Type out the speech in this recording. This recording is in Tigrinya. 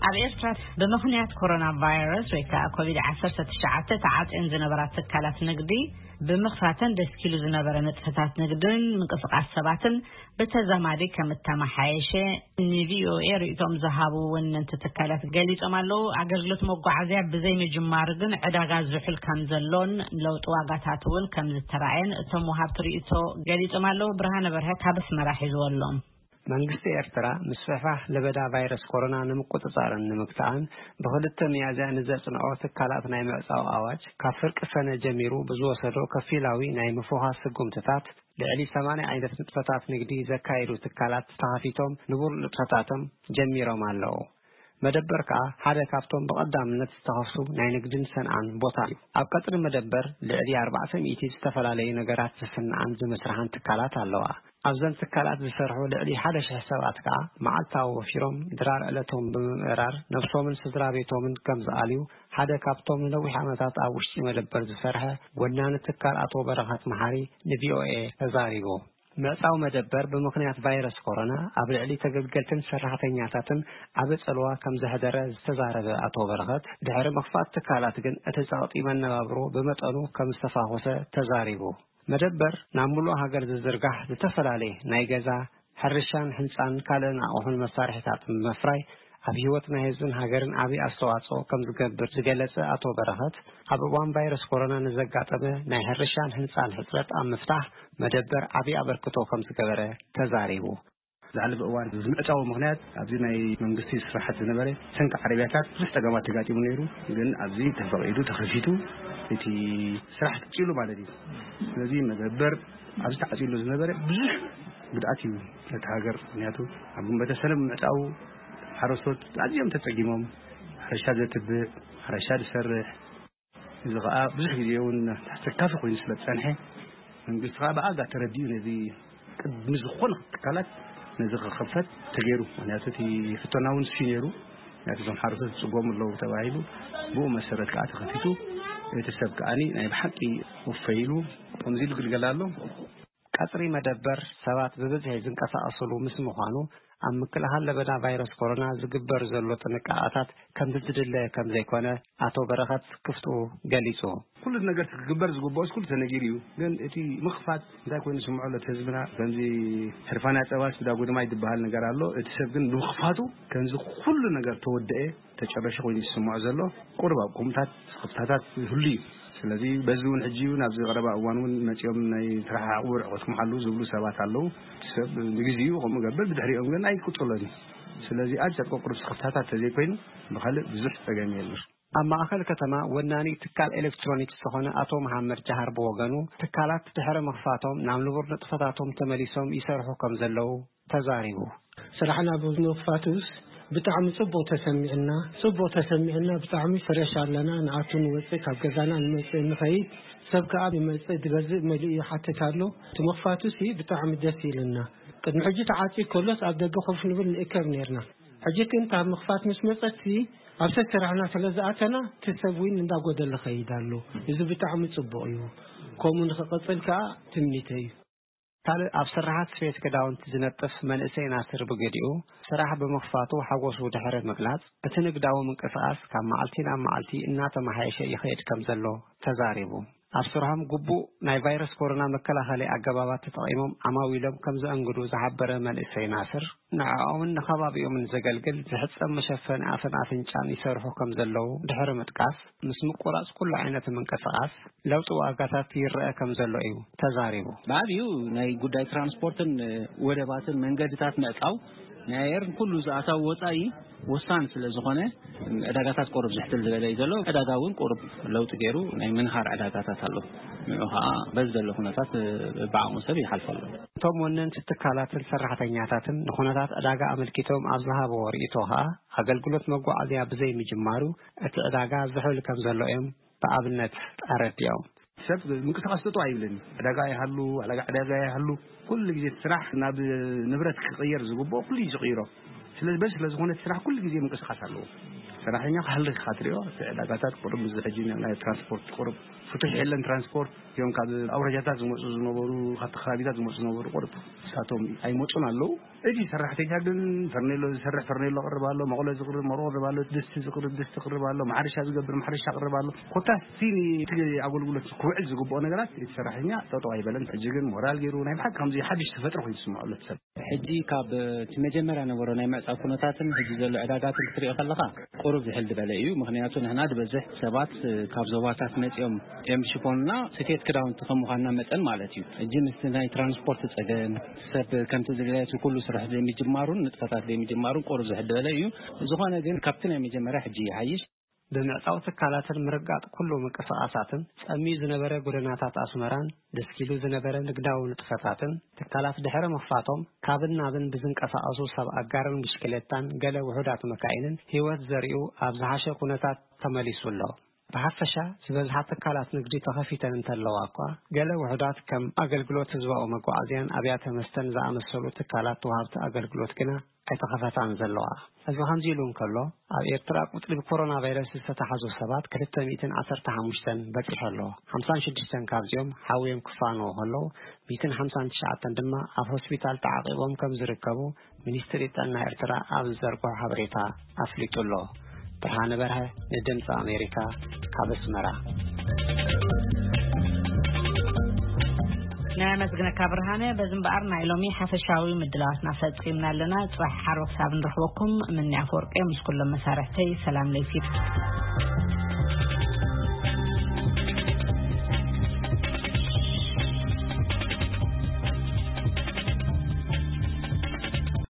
ኣብ ኤርትራ ብምኽንያት ኮሮና ቫይረስ ወይ ከዓ ኮቪድ ዓሰርተ ትሽዓተ ተዓፅየን ዝነበራ ትካላት ንግዲ ብምኽፋተን ደስኪሉ ዝነበረ ንጥፈታት ንግድን ምንቅስቃስ ሰባትን ብተዛማዲ ከም እተመሓየሸ ንቪኦኤ ርእይቶም ዝሃቡ ወነንቲ ትካላት ገሊጾም ኣለዉ። ኣገልግሎት መጓዓዝያ ብዘይ ምጅማሩ ግን ዕዳጋ ዝሑል ከም ዘሎን ለውጢ ዋጋታት እውን ከም ዝተራእየን እቶም ወሃብቲ ርእይቶ ገሊጾም ኣለዉ። ብርሃነ በርሀ ካብ ኣስመራ ሒዝዎ ኣሎ። መንግስቲ ኤርትራ ምስፍሕፋሕ ለበዳ ቫይረስ ኮሮና ንምቁጽጻርን ንምግታእን ብኽልተ ሚያዝያ ንዘጽንዖ ትካላት ናይ ምዕጻው ኣዋጅ ካብ ፍርቂ ሰነ ጀሚሩ ብዝወሰዶ ከፊላዊ ናይ ምፍዃስ ስጉምትታት ልዕሊ ሰማንያ ዓይነት ንጥፈታት ንግዲ ዘካየዱ ትካላት ተኸፊቶም ንቡር ንጥፈታቶም ጀሚሮም ኣለዉ። መደበር ከኣ ሓደ ካብቶም ብቐዳምነት ዝተኸፍቱ ናይ ንግድን ሰንዓን ቦታ እዩ። ኣብ ቀጽሪ መደበር ልዕሊ ኣርባዕተ ሚእቲ ዝተፈላለዩ ነገራት ዝስንዓን ዝምስርሓን ትካላት ኣለዋ። ኣብዘን ትካላት ዝሰርሑ ልዕሊ ሓደ ሽሕ ሰባት ከኣ መዓልታዊ ወፊሮም ድራር ዕለቶም ብምምእራር ነብሶምን ስድራ ቤቶምን ከም ዝኣልዩ ሓደ ካብቶም ንነዊሕ ዓመታት ኣብ ውሽጢ መደበር ዝሰርሐ ወናኒ ትካል ኣቶ በረኸት መሓሪ ንቪኦኤ ተዛሪቡ። ምዕጻው መደበር ብምኽንያት ቫይረስ ኮሮና ኣብ ልዕሊ ተገልገልትን ሰራሕተኛታትን ዓቢ ጽልዋ ከም ዘሕደረ ዝተዛረበ ኣቶ በረኸት፣ ድሕሪ ምኽፋት ትካላት ግን እቲ ጸቕጢ መነባብሮ ብመጠኑ ከም ዝተፋኾሰ ተዛሪቡ። መደበር ናብ ምሉእ ሃገር ዝዝርጋሕ ዝተፈላለየ ናይ ገዛ፣ ሕርሻን ህንጻን ካልእን ኣቑሑን መሳርሒታትን ብምፍራይ ኣብ ህይወት ናይ ህዝብን ሃገርን ዓቢ ኣስተዋጽኦ ከም ዝገብር ዝገለጸ ኣቶ በረኸት፣ ኣብ እዋን ቫይረስ ኮሮና ንዘጋጠመ ናይ ሕርሻን ህንጻን ሕጽረት ኣብ ምፍታሕ መደበር ዓቢ ኣበርክቶ ከም ዝገበረ ተዛሪቡ። ዝሓለፈ እዋን ዝምዕጻው ምኽንያት ኣብዚ ናይ መንግስቲ ስራሓት ዝነበረ ሰንኪ ዓረብያታት ብዙሕ ጸገማት ተጋጢሙ ነይሩ። ግን ኣብዚ ተፈቒዱ ተኸፊቱ እቲ ስራሕ ተዓጺሉ ማለት እዩ። ስለዚ መደበር ኣብዚ ተዓጺሉ ዝነበረ ብዙሕ ጉድኣት እዩ ነቲ ሃገር። ምኽንያቱ ኣብ ግንቦተ ሰነ ብምዕጻው ሓረስቶት ኣዝዮም ተጸጊሞም፣ ሕርሻ ዘትብዕ፣ ሕርሻ ዝሰርሕ፣ እዚ ኸኣ ብዙሕ ግዜ እውን ኣሰካፊ ኮይኑ ስለ ዝጸንሐ መንግስቲ ኸኣ ብኣጋ ተረዲኡ ነዚ ቅድሚ ዝኾነ ትካላት ነዚ ክኸፈት ተገይሩ። ምኽንያቱ እቲ ፍቶና እውን እሱ ነይሩ። ምኽንያቱ እዞም ሓረስቶት ዝጽገሙ ኣለዉ ተባሂሉ ብኡ መሰረት ከኣ ተኸፊቱ እቲ ሰብ ከኣኒ ናይ ብሓቂ ወፈይሉ ከምዚ ኢሉ ግልገል ኣሎ። ቀጽሪ መደበር ሰባት ብብዝሒ ዝንቀሳቐስሉ ምስ ምዃኑ ኣብ ምክልኻል ለበዳ ቫይረስ ኮሮና ዝግበር ዘሎ ጥንቃቐታት ከምቲ ዝድለ ከም ዘይኮነ ኣቶ በረኸት ክፍትኡ ገሊጹ። ኩሉ ነገር ክግበር ዝግብኦስ ኩሉ ተነጊሩ እዩ። ግን እቲ ምኽፋት እንታይ ኮይኑ ዝስምዖ ኣሎ እቲ ህዝብና? ከምዚ ሕርፋና ጸባስ ብዳጎ ድማ ይድበሃል ነገር ኣሎ። እቲ ሰብ ግን ብምኽፋቱ ከምዚ ኩሉ ነገር ተወደአ ተጨረሸ ኮይኑ ዝስምዖ ዘሎ ቁሩብ ኣብ ቁምታት ስኽፍታታት ይህሉ እዩ። ስለዚ በዚ እውን ሕጂ እውን ኣብዚ ቀረባ እዋን እውን መጺኦም ናይ ተረሓሓቑ ርሕቐትኩም ሓልዉ ዝብሉ ሰባት ኣለዉ። እቲ ሰብ ንግዜኡ ከምኡ ገብር፣ ብድሕሪኦም ግን ኣይቅጽሎን እዩ። ስለዚ ኣጭር ቁሩብ ስኽፍታታት ተዘይኮይኑ ብኻልእ ብዙሕ ጸገም የለን። ኣብ ማእኸል ከተማ ወናኒ ትካል ኤሌክትሮኒክስ ዝኾነ ኣቶ መሓመድ ጃሃር ብወገኑ፣ ትካላት ድሕሪ ምኽፋቶም ናብ ንቡር ንጥፈታቶም ተመሊሶም ይሰርሑ ከም ዘለዉ ተዛሪቡ። ስራሕና ብምኽፋቱስ ብጣዕሚ ጽቡቕ ተሰሚዕና፣ ጽቡቕ ተሰሚዕና፣ ብጣዕሚ ፍረሽ ኣለና፣ ንኣቱ ንወጽእ፣ ካብ ገዛና ንመጽእ ንኸይድ፣ ሰብ ከኣ ይመጽእ፣ ዝገዝእ መሊኡ ይሓትት ኣሎ። እቲ ምኽፋቱሲ ብጣዕሚ ደስ ኢሉና። ቅድሚ ሕጂ ተዓጽዩ ከሎስ ኣብ ደገ ኮፍ ንብል ንእከብ ኔርና። ሕጂ ግን ካብ ምኽፋት ምስ መጸትሲ ኣብ ሰብ ስራሕና ስለ ዝኣተና፣ እቲ ሰብ እውን እንዳጎደለ ኸይድ ኣሎ። እዚ ብጣዕሚ ጽቡቕ እዩ። ከምኡ ንኽቕጽል ከኣ ትምኒተይ እዩ። ካልእ ኣብ ስራሓት ስፌት ክዳውንቲ ዝነጥፍ መንእሰይ ናስር ብገዲኡ፣ ስራሕ ብምኽፋቱ ሓጎሱ ድሕሪ ምግላጽ፣ እቲ ንግዳዊ ምንቅስቓስ ካብ መዓልቲ ናብ መዓልቲ እናተመሓየሸ ይኸይድ ከም ዘሎ ተዛሪቡ። ኣብ ስርሖም ግቡእ ናይ ቫይረስ ኮሮና መከላኸሊ ኣገባባት ተጠቒሞም ዓማዊሎም ከም ዘእንግዱ ዝሓበረ መንእሰይ ናስር፣ ንዕኦምን ንኸባቢኦምን ዘገልግል ዝሕጸብ መሸፈኒ ኣፍን ኣፍንጫን ይሰርሑ ከም ዘለዉ ድሕሪ ምጥቃስ፣ ምስ ምቁራጽ ኩሉ ዓይነት ምንቅስቓስ ለውጢ ዋጋታት ይረአ ከም ዘሎ እዩ ተዛሪቡ። ብዓብዩ ናይ ጉዳይ ትራንስፖርትን ወደባትን መንገድታት ምዕጻው ናይ ኣየርን ኩሉ ዝኣታዊ ወጻኢ ወሳኒ ስለ ዝኾነ ዕዳጋታት ቁሩብ ዝሕትል ዝበለ እዩ ዘሎ። ዕዳጋ እውን ቁሩብ ለውጢ ገይሩ ናይ ምንሃር ዕዳጋታት ኣሎ። ንዑ ኸዓ በዚ ዘሎ ኩነታት ብዓቕሙ ሰብ ይሓልፎ ኣሎ። እቶም ወነንቲ ትካላትን ሰራሕተኛታትን ንኩነታት ዕዳጋ ኣመልኪቶም ኣብ ዝሃብዎ ርእይቶ ኸዓ ኣገልግሎት መጓዓዝያ ብዘይ ምጅማሩ እቲ ዕዳጋ ዝሑል ከም ዘሎ እዮም ብኣብነት ኣረዲኦም። ሰብ ምንቅስቃስ ጠጠው ኣይብልን። ዕዳጋ ይሃሉ፣ ዕዳጋ፣ ዕዳጋ ይሃሉ። ኩሉ ግዜ ስራሕ ናብ ንብረት ክቕየር ዝግብኦ ኩሉ እዩ ዝቕይሮ። ስለዚ በዚ ስለ ዝኾነ እቲ ስራሕ ኩሉ ግዜ ምንቅስቃስ ኣለዎ። ሰራሕተኛ ክሃልኽ ኢኻ ትሪኦ። እቲ ዕዳጋታት ቁሩብ፣ እዚ ሕጂ ናይ ትራንስፖርት ቁሩብ ፍቱሕ የለን። ትራንስፖርት እዮም፣ ካብ ኣውራጃታት ዝመፁ ዝነበሩ፣ ካብቲ ከባቢታት ዝመፁ ዝነበሩ ቁሩብ ንሳቶም ኣይመፁን ኣለዉ። እቲ ሰራሕተኛ ግን ፈርኔሎ ዝሰርሕ ፈርኔሎ ቅርብ ኣሎ፣ መቑሎ ዝቕርብ መቑሎ ቅርብ ኣሎ፣ ድስቲ ዝቕርብ ድስቲ ቅርብ ኣሎ፣ ማሕረሻ ዝገብር ማሕረሻ ቅርብ ኣሎ። ኮታስ እቲ ኣገልግሎት ክውዕል ዝግብኦ ነገራት እቲ ሰራሕተኛ ጠጠው ኣይበለን። ሕጂ ግን ሞራል ገይሩ ናይ ብሓቂ ከምዚ ሓድሽ ተፈጥሮ ኮይኑ ዝስምዖ ኣሎ እቲ ሰብ። ሕጂ ካብ እቲ መጀመርያ ነበሮ ናይ ምዕጻው ኩነታትን ሕጂ ዘሎ ዕዳጋትን ክትሪኦ ከለኻ ቁሩብ ዝሕል ዝበለ እዩ። ምኽንያቱ ንሕና ዝበዝሕ ሰባት ካብ ዞባታት መጺኦም እዮም ዝሽፈኑና፣ ስፌት ክዳውንቲ ከም ምዃንና መጠን ማለት እዩ። ሕጂ ምስቲ ናይ ትራንስፖርት ጸገም፣ ሰብ ከምቲ ዝደለየ እቲ ኩሉ ስራሕ ዘይምጅማሩን ንጥፈታት ዘይምጅማሩን ቁሩብ ዝሕል ዝበለ እዩ። ዝኾነ ግን ካብቲ ናይ መጀመርያ ሕጂ ይሓይሽ። ብምዕጻው ትካላትን ምርጋጥ ኩሉ ምንቅስቓሳትን ጸሚዩ ዝነበረ ጎደናታት ኣስመራን ደስኪሉ ዝነበረ ንግዳዊ ንጥፈታትን ትካላት ድሕሪ ምኽፋቶም ካብን ናብን ብዝንቀሳቐሱ ሰብ ኣጋርን ብሽክሌታን ገለ ውሑዳት መካይንን ህይወት ዘሪኡ ኣብ ዝሓሸ ኩነታት ተመሊሱ ኣሎ። ብሓፈሻ ዝበዝሓ ትካላት ንግዲ ተኸፊተን እንተለዋ እኳ ገለ ውሑዳት ከም ኣገልግሎት ህዝባዊ መጓዓዝያን ኣብያተ መስተን ዝኣመሰሉ ትካላት ወሃብቲ ኣገልግሎት ግና ኣይተኸፈታን ዘለዋ። እዚ ከምዚ ኢሉ እንከሎ ኣብ ኤርትራ ቁጽሪ ብኮሮና ቫይረስ ዝተታሕዙ ሰባት ክልተ ሚእትን ዓሰርተ ሓሙሽተን በጺሑ ኣሎ። ሓምሳን ሽዱሽተን ካብዚኦም ሓውዮም ክፋነዉ ከለዉ ሚእትን ሓምሳን ትሽዓተን ድማ ኣብ ሆስፒታል ተዓቂቦም ከም ዝርከቡ ሚኒስትሪ ጥዕና ኤርትራ ኣብ ዝዘርግሖ ሓበሬታ ኣፍሊጡ ኣሎ። ብርሃነ በርሀ ንድምፂ ኣሜሪካ ካብ ኣስመራ። ነመስግነካ ብርሃነ። በዚ እምበኣር ናይ ሎሚ ሓፈሻዊ ምድላዋትና ፈጺምና ኣለና። ጽባሕ ሓሮ ክሳብ ንረኽበኩም ምንያ ኣፈወርቂ ምስ ኩሎም መሳርሕተይ ሰላም ለይቲ።